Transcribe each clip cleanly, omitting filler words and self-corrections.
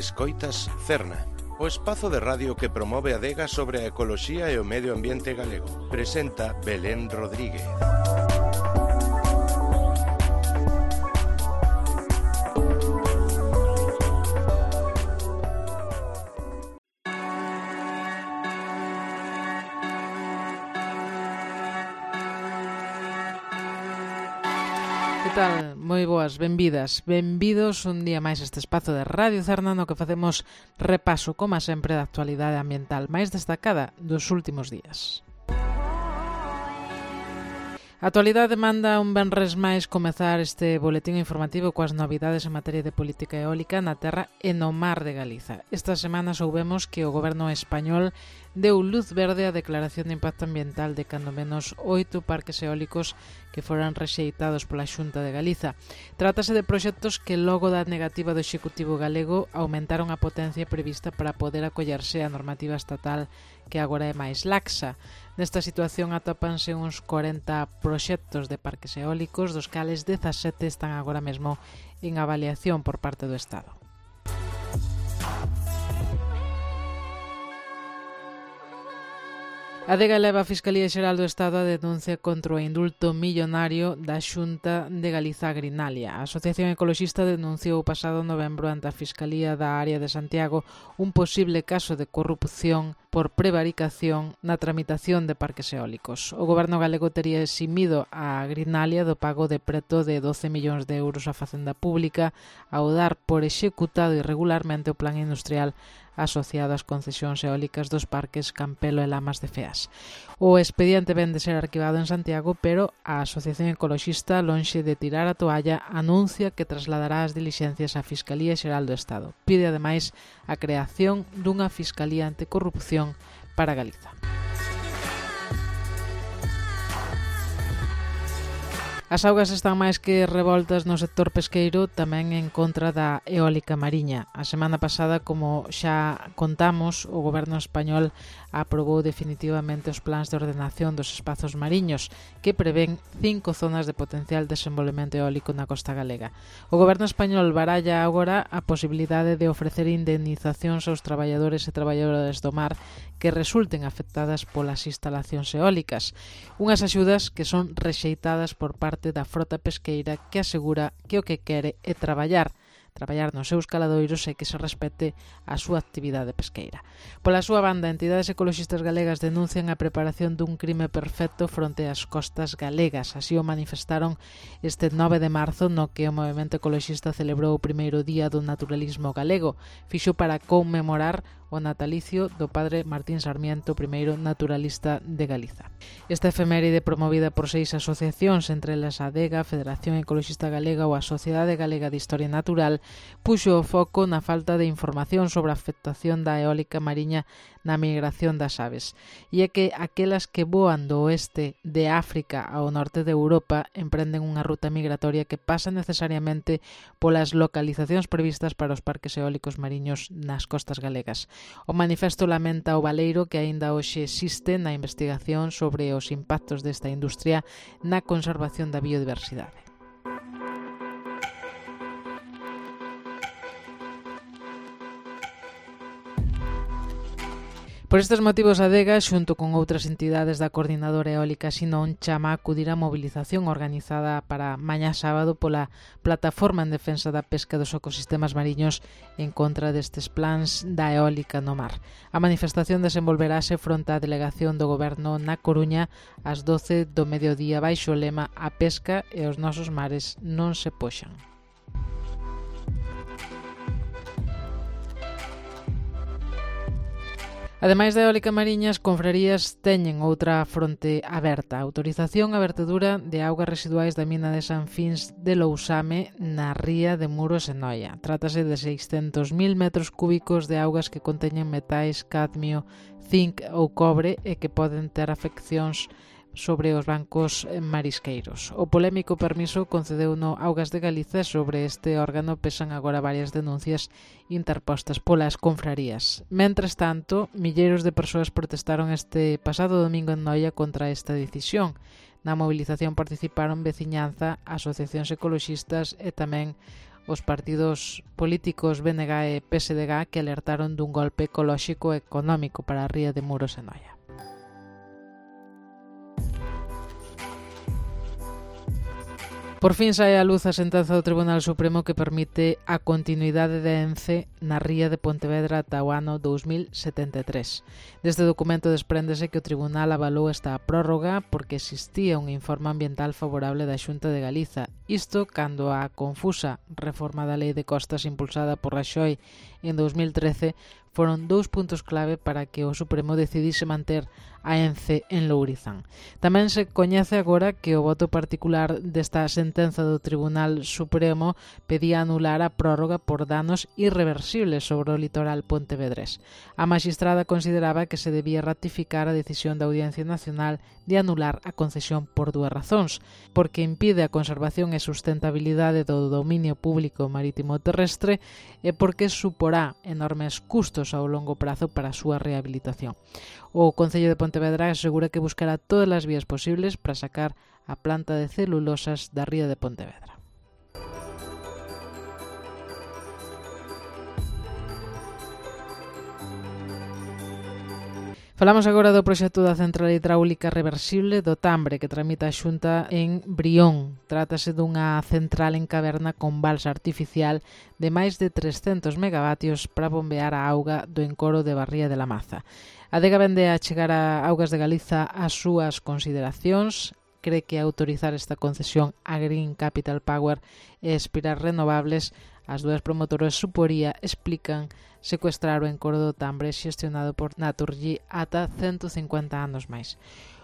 Escoitas Cerna, o espazo de radio que promove a adega sobre a ecoloxía e o medio ambiente galego. Presenta Belén Rodríguez. Que tal? Moi boas, benvidas, benvidos un día máis a este espazo de Radio Cerna no que facemos repaso, como sempre, da actualidade ambiental máis destacada dos últimos días. A actualidade manda un venres máis comezar este boletín informativo coas novidades en materia de política eólica na terra e no mar de Galiza. Esta semana soubemos que o goberno español deu luz verde á declaración de impacto ambiental de cando menos 8 parques eólicos que foran rexeitados pola Xunta de Galiza. Trátase de proxectos que logo da negativa do Executivo galego aumentaron a potencia prevista para poder acollerse á normativa estatal que agora é máis laxa. Nesta situación atópanse uns 40 proxectos de parques eólicos, dos cales 17 están agora mesmo en avaliación por parte do Estado. A adega leva a Fiscalía Xeral do Estado a denuncia contra o indulto millonario da Xunta de Galiza Grinalia. A Asociación Ecoloxista denunciou o pasado novembro ante a Fiscalía da área de Santiago un posible caso de corrupción por prevaricación na tramitación de parques eólicos. O goberno galego tería eximido a Grinalia do pago de preto de 12 millóns de euros á Facenda Pública ao dar por executado irregularmente o plan industrial asociado ás concesións eólicas dos parques Campelo e Lamas de Feas. O expediente ven de ser arquivado en Santiago, pero a Asociación Ecoloxista, lonxe de tirar a toalla, anuncia que trasladará as dilixencias á Fiscalía Xeral do Estado. Pide, ademais, a creación dunha Fiscalía Anticorrupción para Galiza. As augas están máis que revoltas no sector pesqueiro, tamén en contra da eólica mariña. A semana pasada, como xa contamos, o goberno español aprobou definitivamente os plans de ordenación dos espazos mariños, que prevén 5 zonas de potencial desenvolvemento eólico na costa galega. O goberno español baralla agora a posibilidade de ofrecer indemnizacións aos traballadores e traballadoras do mar que resulten afectadas polas instalacións eólicas. Unhas axudas que son rexeitadas por parte da frota pesqueira, que asegura que o que quere é traballar nos seus caladoiros e que se respete a súa actividade pesqueira. Pola súa banda, entidades ecoloxistas galegas denuncian a preparación dun crime perfecto fronte ás costas galegas. Así o manifestaron este 9 de marzo, no que o movemento ecoloxista celebrou o primeiro día do naturalismo galego. Fixo para conmemorar o natalicio do padre Martín Sarmiento, primeiro naturalista de Galiza. Esta efeméride, promovida por 6 asociacións, entre elas a ADEGA, a Federación Ecoloxista Galega ou a Sociedade Galega de Historia Natural, puxo o foco na falta de información sobre a afectación da eólica mariña na migración das aves. E é que aquelas que voan do oeste de África ao norte de Europa emprenden unha ruta migratoria que pasa necesariamente polas localizacións previstas para os parques eólicos mariños nas costas galegas. O manifesto lamenta o baleiro que aínda hoxe existe na investigación sobre os impactos desta industria na conservación da biodiversidade. Por estes motivos, a ADEGA, xunto con outras entidades da Coordinadora Eólica Sinón, chama a acudir á mobilización organizada para mañá sábado pola Plataforma en Defensa da Pesca dos Ecosistemas Mariños en contra destes plans da eólica no mar. A manifestación desenvolverase fronte á delegación do Goberno na Coruña ás 12 do mediodía baixo o lema "A pesca e os nosos mares non se poxan". Ademais da eólica mariña, as confrarías teñen outra fronte aberta. Autorización a vertedura de augas residuais da mina de San Fins de Lousame na ría de Muros e Noia. Trátase de 600.000 metros cúbicos de augas que conteñen metais, cadmio, zinc ou cobre e que poden ter afeccións sobre os bancos marisqueiros. O polémico permiso concedeu no Augas de Galiza. Sobre este órgano pesan agora varias denuncias interpostas polas confrarías. Mentres tanto, milleiros de persoas protestaron este pasado domingo en Noia contra esta decisión. Na movilización participaron veciñanza, asociacións ecoloxistas e tamén os partidos políticos BNG e PSDG que alertaron dun golpe ecolóxico e económico para a ría de Muros e Noia. Por fin sae á luz a sentenza do Tribunal Supremo que permite a continuidade de ENCE na ría de Pontevedra ata o ano 2073. Deste documento despréndese que o Tribunal avalou esta prórroga porque existía un informe ambiental favorable da Xunta de Galiza. Isto cando a confusa reforma da Lei de Costas impulsada por Raxoi en 2013 foron 2 puntos clave para que o Supremo decidise manter a ENCE en Lourizán. Tamén se coñece agora que o voto particular desta sentenza do Tribunal Supremo pedía anular a prórroga por danos irreversibles sobre o litoral pontevedrés. A maxistrada consideraba que se debía ratificar a decisión da Audiencia Nacional de anular a concesión por 2 razóns, porque impide a conservación e sustentabilidade do dominio público marítimo terrestre e porque suporá enormes custos ao longo prazo para a súa rehabilitación. O Concello de Pontevedra asegura que buscará todas as vías posibles para sacar a planta de celulosas da ría de Pontevedra. Falamos agora do proxecto da central hidráulica reversible do Tambre que tramita a Xunta en Brión. Trátase dunha central en caverna con balsa artificial de máis de 300 megavatios para bombear a auga do encoro de Barría de la Maza. A Adega vende a chegar a Augas de Galiza as súas consideracións, cree que autorizar esta concesión a Green Capital Power e Espirar Renovables, as dúas promotoras suporía, explican, secuestrar o encoro do Tambre xestionado por Naturgy ata 150 anos máis.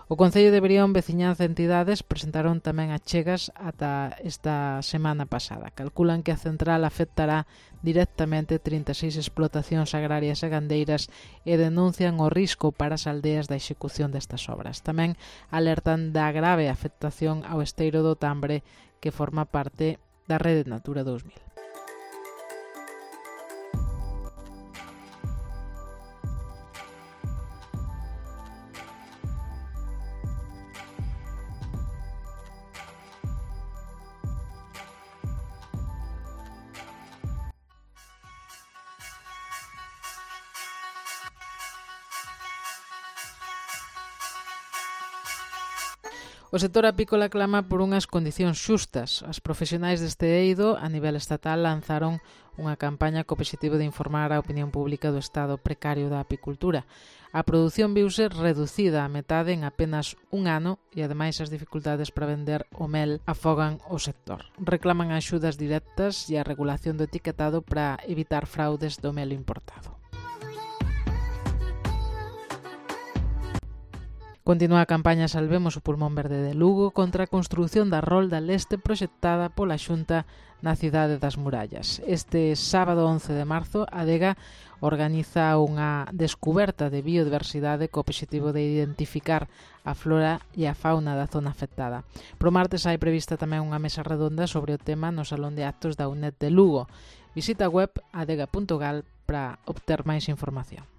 O Concello de Brión, veciñanza e entidades presentaron tamén achegas ata esta semana pasada. Calculan que a central afectará directamente 36 explotacións agrarias e gandeiras e denuncian o risco para as aldeas da execución destas obras. Tamén alertan da grave afectación ao esteiro do Tambre que forma parte da Rede Natura 2000. O sector apícola clama por unhas condicións xustas. As profesionais deste eido, a nivel estatal, lanzaron unha campaña co obxectivo de informar a opinión pública do estado precario da apicultura. A produción viuse reducida a metade en apenas un ano e, ademais, as dificultades para vender o mel afogan o sector. Reclaman axudas directas e a regulación do etiquetado para evitar fraudes do mel importado. Continúa a campaña Salvemos o Pulmón Verde de Lugo contra a construción da rolda leste proxectada pola Xunta na cidade das Murallas. Este sábado 11 de marzo, a Adega organiza unha descuberta de biodiversidade co obxectivo de identificar a flora e a fauna da zona afectada. Pro martes hai prevista tamén unha mesa redonda sobre o tema no Salón de Actos da UNED de Lugo. Visita a web adega.gal para obter máis información.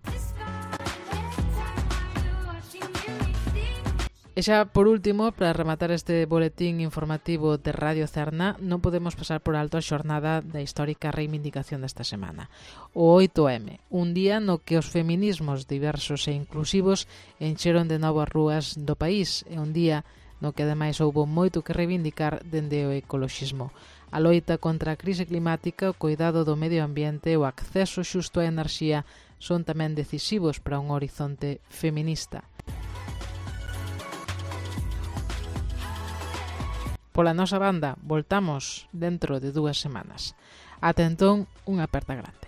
E xa, por último, para rematar este boletín informativo de Radio Cerna, non podemos pasar por alto a xornada da histórica reivindicación desta semana. O 8M, un día no que os feminismos diversos e inclusivos encheron de novo as rúas do país, e un día no que ademais houbo moito que reivindicar dende o ecoloxismo. A loita contra a crise climática, o cuidado do medio ambiente e o acceso xusto á enerxía son tamén decisivos para un horizonte feminista. Pola nosa banda, voltamos dentro de 2 semanas. Ata entón, unha aperta grande.